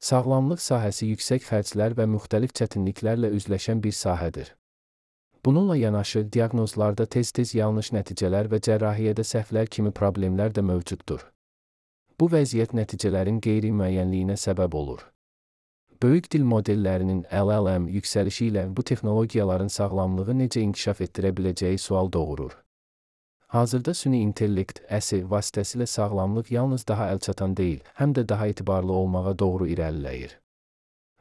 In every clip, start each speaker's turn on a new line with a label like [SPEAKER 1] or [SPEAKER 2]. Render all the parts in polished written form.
[SPEAKER 1] Sağlamlıq sahəsi yüksək xərclər və müxtəlif çətinliklərlə üzləşən bir sahədir. Bununla yanaşı, diaqnozlarda tez-tez yanlış nəticələr və cərrahiyyədə səhvlər kimi problemlər də mövcuddur. Bu vəziyyət nəticələrin qeyri-müəyyənliyinə səbəb olur. Böyük dil modellərinin LLM yüksəlişi ilə bu texnologiyaların sağlamlığı necə inkişaf etdirə biləcəyi sual doğurur. Hazırda süni intellekt əsi vasitəsilə sağlamlıq yalnız daha əlçatan deyil, həm də daha etibarlı olmağa doğru irəliləyir.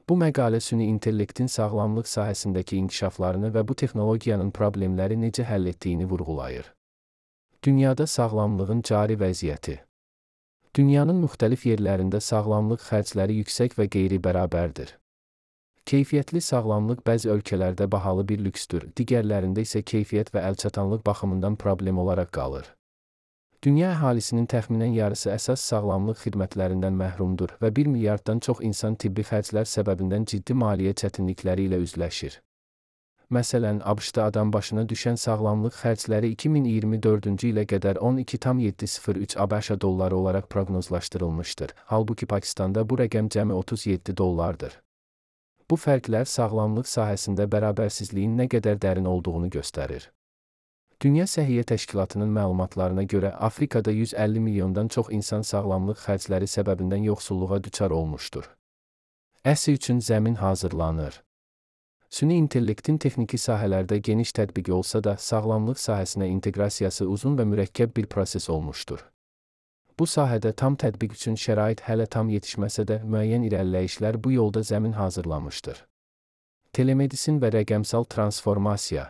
[SPEAKER 1] Bu məqalə süni intellektin sağlamlıq sahəsindəki inkişaflarını və bu texnologiyanın problemləri necə həll etdiyini vurğulayır. Dünyada sağlamlığın cari vəziyyəti. Dünyanın müxtəlif yerlərində sağlamlıq xərcləri yüksək və qeyri-bərabərdir. Keyfiyyətli sağlamlıq bəzi ölkələrdə bahalı bir lüksdür, digərlərində isə keyfiyyət və əlçatanlıq baxımından problem olaraq qalır. Dünya əhalisinin təxminən yarısı əsas sağlamlıq xidmətlərindən məhrumdur və 1 milyarddan çox insan tibbi xərclər səbəbindən ciddi maliyyə çətinlikləri ilə üzləşir. Məsələn, ABŞ-da adam başına düşən sağlamlıq xərcləri 2024-cü ilə qədər 12,703 ABŞ dolları olaraq proqnozlaşdırılmışdır, halbuki Pakistanda bu rəqəm cəmi 37 dollardır. Bu fərqlər sağlamlıq sahəsində bərabərsizliyin nə qədər dərin olduğunu göstərir. Dünya Səhiyyə Təşkilatının məlumatlarına görə Afrikada 150 milyondan çox insan sağlamlıq xərcləri səbəbindən yoxsulluğa düçar olmuşdur. Əsi üçün zəmin hazırlanır. Süni intellektin texniki sahələrdə geniş tətbiqi olsa da, sağlamlıq sahəsinə inteqrasiyası uzun və mürəkkəb bir proses olmuşdur. Bu sahədə tam tətbiq üçün şərait hələ tam yetişməsə də, müəyyən irəliləyişlər bu yolda zəmin hazırlamışdır. Telemedisin və rəqəmsal transformasiya.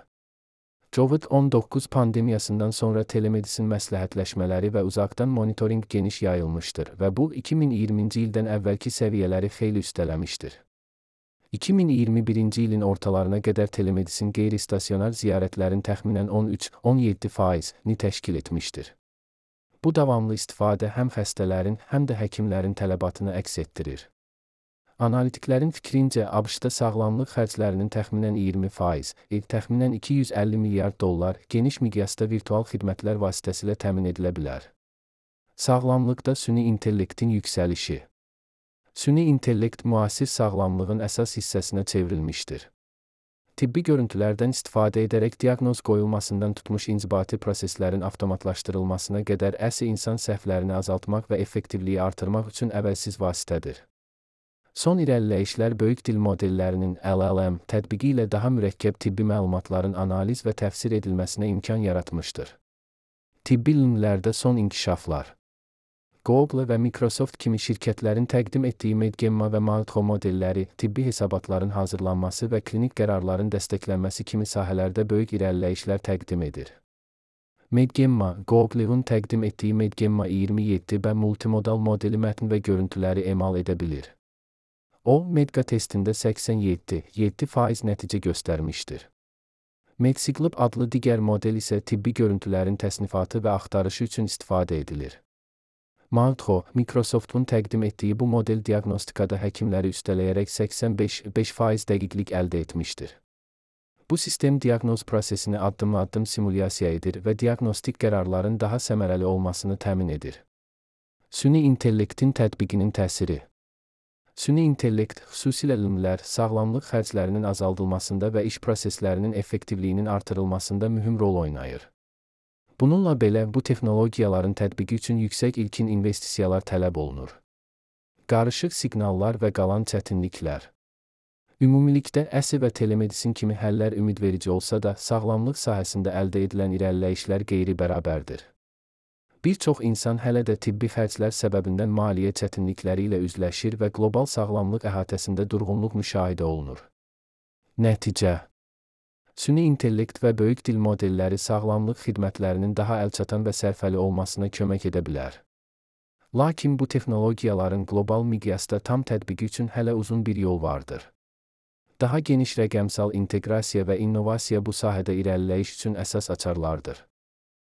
[SPEAKER 1] COVID-19 pandemiyasından sonra telemedisin məsləhətləşmələri və uzaqdan monitorinq geniş yayılmışdır və bu 2020-ci ildən əvvəlki səviyyələri xeyli üstələmişdir. 2021-ci ilin ortalarına qədər telemedisin qeyri-stasionar ziyarətlərin təxminən 13-17%ni təşkil etmişdir. Bu davamlı istifadə həm xəstələrin, həm də həkimlərin tələbatını əks etdirir. Analitiklərin fikrincə, ABŞ-da sağlamlıq xərclərinin təxminən 20%, təxminən 250 milyard dollar geniş miqyasda virtual xidmətlər vasitəsilə təmin edilə bilər. Sağlamlıqda süni intellektin yüksəlişi. Süni intellekt müasir sağlamlığın əsas hissəsinə çevrilmişdir. Tibbi görüntülərdən istifadə edərək diaqnoz qoyulmasından tutmuş inzibati proseslərin avtomatlaşdırılmasına qədər əsi insan səhvlərini azaltmaq və effektivliyi artırmaq üçün əvəzsiz vasitədir. Son irəliləyişlər böyük dil modellərinin LLM tətbiqi ilə daha mürəkkəb tibbi məlumatların analiz və təfsir edilməsinə imkan yaratmışdır. Tibbi ilmlərdə son inkişaflar. Google və Microsoft kimi şirkətlərin təqdim etdiyi Medgemma və Maltho modelləri, tibbi hesabatların hazırlanması və klinik qərarların dəstəklənməsi kimi sahələrdə böyük irəliləyişlər təqdim edir. Medgemma, Google'un təqdim etdiyi Medgemma 27 və multimodal modeli mətn və görüntüləri emal edə bilir. O, Medqa testində 87% nəticə göstərmişdir. Medsiglib adlı digər model isə tibbi görüntülərin təsnifatı və axtarışı üçün istifadə edilir. Maltho, Microsoft'un təqdim etdiyi bu model diaqnostikada həkimləri üstələyərək 85% dəqiqlik əldə etmişdir. Bu sistem diaqnoz prosesini addım-addım simulyasiya edir və diaqnostik qərarların daha səmərəli olmasını təmin edir. Süni intellektin tətbiqinin təsiri. Süni intellekt, xüsusilə elmlər, sağlamlıq xərclərinin azaldılmasında və iş proseslərinin effektivliyinin artırılmasında mühüm rol oynayır. Bununla belə, bu texnologiyaların tətbiqi üçün yüksək ilkin investisiyalar tələb olunur. Qarışıq siqnallar və qalan çətinliklər. Ümumilikdə, əsi və telemedisin kimi həllər ümidverici olsa da, sağlamlıq sahəsində əldə edilən irəliləyişlər qeyri-bərabərdir. Bir çox insan hələ də tibbi xərclər səbəbindən maliyyə çətinlikləri ilə üzləşir və qlobal sağlamlıq əhatəsində durğunluq müşahidə olunur. Nəticə. Süni intellekt və böyük dil modelləri sağlamlıq xidmətlərinin daha əlçatan və sərfəli olmasına kömək edə bilər. Lakin bu texnologiyaların qlobal miqyasda tam tətbiqi üçün hələ uzun bir yol vardır. Daha geniş rəqəmsal inteqrasiya və innovasiya bu sahədə irəliləyiş üçün əsas açarlardır.